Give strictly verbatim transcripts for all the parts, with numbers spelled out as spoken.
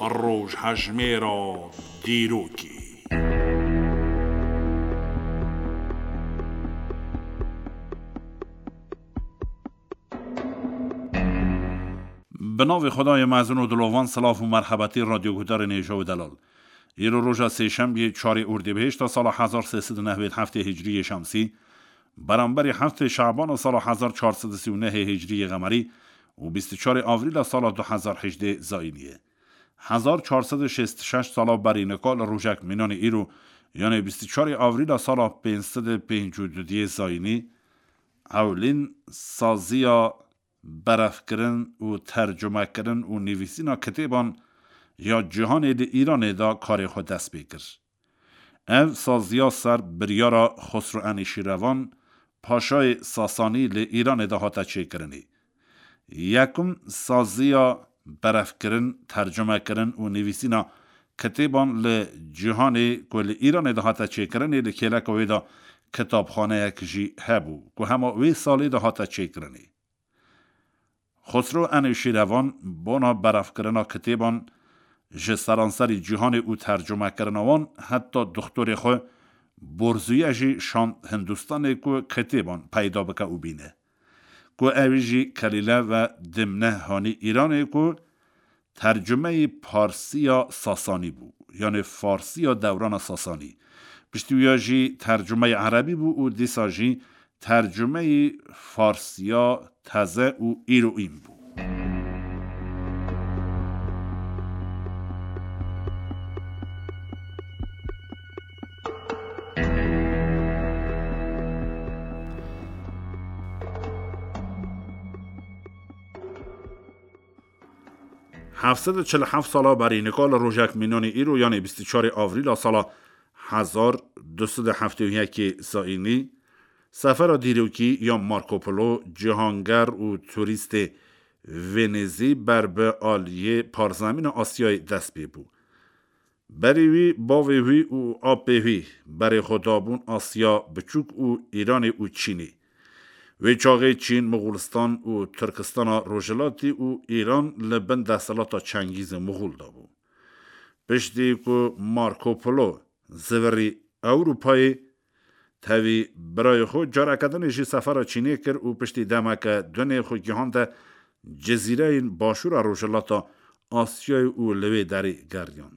Rojhejmêra dîrokê. Bi navê Xwedayê mezin û dilovan, silav û merhebetî radyoguhdarên hêja û delal. Îro roja sêşembiyê, çarê Ordîbehişta sala hezar sê sed û nehwêd heftê hicriyê şemsî, beramberî heftê Şabana sala hezar çar sed û sî û nehê hicriyê qemerî û bîst û çarê Avrîla sala du hezar hejdê zayînî ye. Hezar çar sed û şêst û şeş sala berî nika li rojek mînanê îro, yanê bîst û çarê Avrîla sala pênc sed û pêncî û duyê zayînî, ewlîn saziya berevkirin û tercumekirin û nivîsîna kitêban ya cîhanê li Îranê de karê xwe dest pê kir. Ev saziya ser biryara Xosro Enîşîrevan, paşayê Sasanî, li Îranê de hate çêkirinê. Yekum saziya berevkirin, tercumekirin û nivîsîna kitêban li cîhanê ku li Îranê de hate çêkirinê, li kêleka wê de kitabxaneyek jî hebû, ku hema wê salê de hate çêkirinê. Xosro Enîşîrevan bona berevkirina kitêban ji seranserî cîhanê û tercumekirina wan heta doxtorê xwe Borzûye jî şand Hindistanê ku kitêban peyda bike û bîne. Ku ew jî Kelîle ve Dimne hanî Îranê ku tercumeyî Parsiya Sasanî bû, yanê Farsiya dewrana Sasanî. Piştî wiya jî tercumeyî Erebî bû û dîsa jî tercumeyî Farsiya teze û îroîn bû. Heft sed û çil û heft sala berî nika li rojek mînanî îro, yanê bîst û çarê Avrîla sala hezar du sed û heftê û yekê zayînî, sefera dîrokî ya Marco Polo, cîhanger û turîstê Venêzî ber bi aliyê parzemîna Asyayê dest pê bû. Berî wî bavê wî û apê wî berê xwe dabûn Asya Biçûk û Îranê û Çînê. Wê çaxê Çîn, Moxolistan û Tirkistana Rojhilatî û Îran li bin desthilata Çengîzê Moxol de bû. Piştî ku Marco Polo zivirî Ewropayê, tevî birayê xwe careke dinê jî sefera Çînê kir û piştî demeke dunê xwe gihande cizîreyên başûra rojhilata Asyayê û li wê derê geriyan.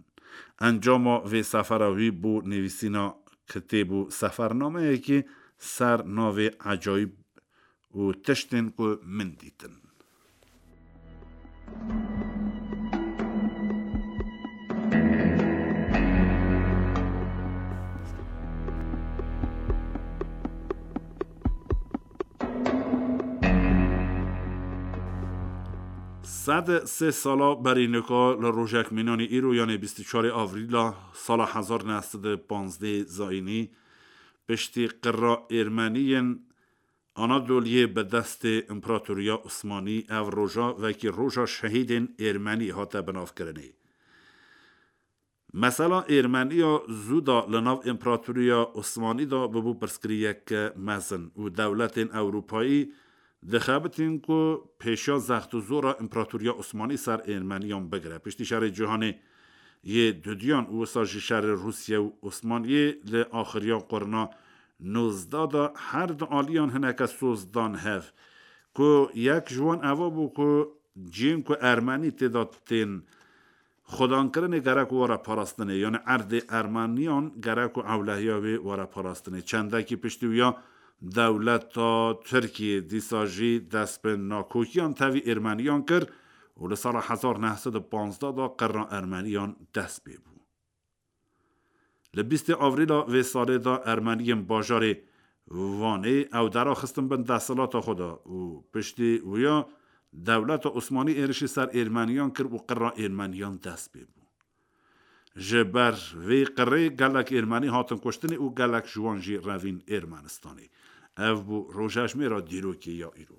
Encama vê sefera wî bû nivîsîna kitêb û sefernameyekî ser navê Ecayîb û Tiştên ku min dîtin. Sed sê sala berî nika li rojek mînanî îro, yanê bîst û çarê Avrîla sala hezar neh sed û panzdeh zayînî, piştî qirra Êrmeniyên Anadoliyê bi destê Împaratoriya Osmanî, ev roja wekî roja şehîdên Êrmenî hate binavkirinê. Mesela Êrmeniya zû de li nav Împaratoriya Osmanî de bibû pirsgirêyeke mezin û dewletên Ewropayî dixebitin ku pêşiya zext û zora Împaratoriya Osmanî ser Êrmeniyan bigire. Piştî şerê cîhanê yê dudiyan û wisa jî şerê Rûsye û Osmaniyê li axiriya qurna nozdeh de her du aliyan hineke soz dan hev, ku yek ji wan eva bû ku cihên ku Ermenî tê de tên xwedankirinê gerek were parastinê, yanî erdê Ermeniyan gerek û ewlehiya wê were parastinê. Çendekî piştî wiya dewleta Tirkiyê dîsa jî dest bi nakokiyan tevî Êrmeniyan kir û li sala hezar neh sed û panzdeh de qirra Ermeniyan dest pê bû. Li bîstê Avrîla vê salê de Ermeniyên bajarê Vanê ew dera xistin bin desthilata xwe de û piştî wiya dewleta Osmanî êrişî ser Êrmeniyan kir û qirra Êrmeniyan dest pê bû. Ji ber vê qirê gelek Êrmenî hatin kuştinê û gelek ji wan jî revîn Êrmenistanê. Ev bû rojejmêra dîrokê ya îro.